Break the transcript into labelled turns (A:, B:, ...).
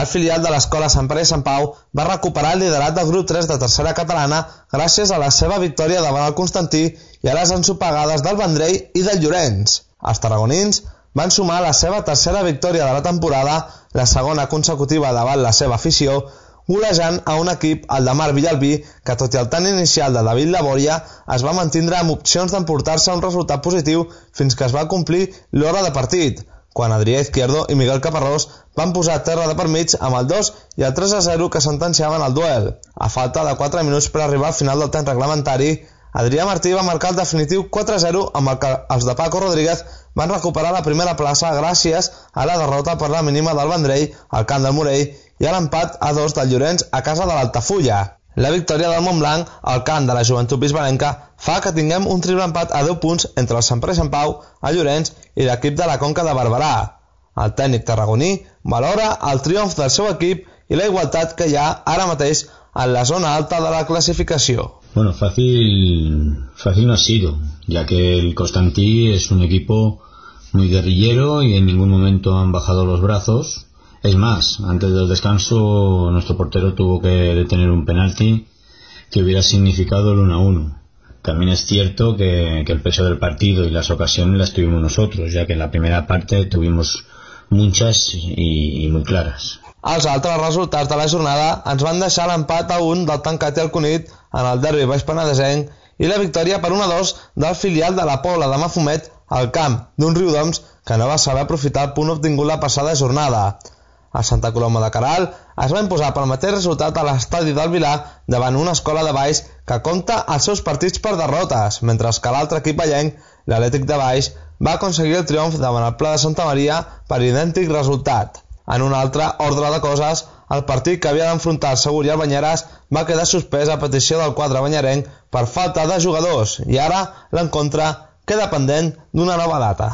A: El filial de l'Escola Sant Pere i Sant Pau va recuperar el liderat del grup 3 de tercera catalana gràcies a la seva victòria davant el Constantí i a les ensopegades del Vendrell i del Llorenç. Els tarragonins van sumar la seva tercera victòria de la temporada, la segona consecutiva davant la seva afició, golejant a un equip, el de Marc Villalbí, que tot i el tant inicial de David Labòria, es va mantindre amb opcions d'emportar-se un resultat positiu fins que es va complir l'hora de partit, quan Adrià Izquierdo i Miguel Caparrós van posar terra de per mig amb el 2 i el 3-0 que sentenciaven el duel. A falta de 4 minuts per arribar al final del temps reglamentari, Adrià Martí va marcar el definitiu 4-0 amb el que els de Paco Rodríguez van recuperar la primera plaça gràcies a la derrota per la mínima del Vendrell al camp del Morell i a l'empat a 2 del Llorenç a casa de l'Altafulla. La victòria del Montblanc al camp de la Joventut Bisbalenca fa que tinguem un triple empat a 10 punts entre el Sant Pere i Sant Pau, el Llorenç i l'equip de la Conca de Barberà. El tècnic tarragoní valora el triomf del seu equip y la igualdad que hi ha ara mateix en la zona alta de la clasificación.
B: Bueno, fácil no ha sido, ya que el Constantí es un equipo muy guerrillero y en ningún momento han bajado los brazos. Es más, antes del descanso nuestro portero tuvo que detener un penalti que hubiera significado el 1-1. También es cierto que el peso del partido y las ocasiones las tuvimos nosotros, ya que en la primera parte tuvimos muchas y muy claras.
A: Els altres resultats de la jornada ens van deixar l'empat a 1 del Tancat i el Cunit en el derbi baix penedesenc i la victòria per 1-2 del filial de la Pobla de Mafumet al camp d'un Riudoms que no va saber aprofitar el punt obtingut la passada jornada. El Santa Coloma de Queralt es va imposar pel mateix resultat a l'estadi del Vilar davant una escola de Baix que compta els seus partits per derrotes, mentre que l'altre equip vallenc, l'Atlètic de Baix, va aconseguir el triomf davant el Pla de Santa Maria per idèntic resultat. En un altre ordre de coses, el partit que havia d'enfrontar el Segur i el Banyeres va quedar suspès a petició del quadre banyerenc per falta de jugadors i ara l'encontre queda pendent d'una nova data.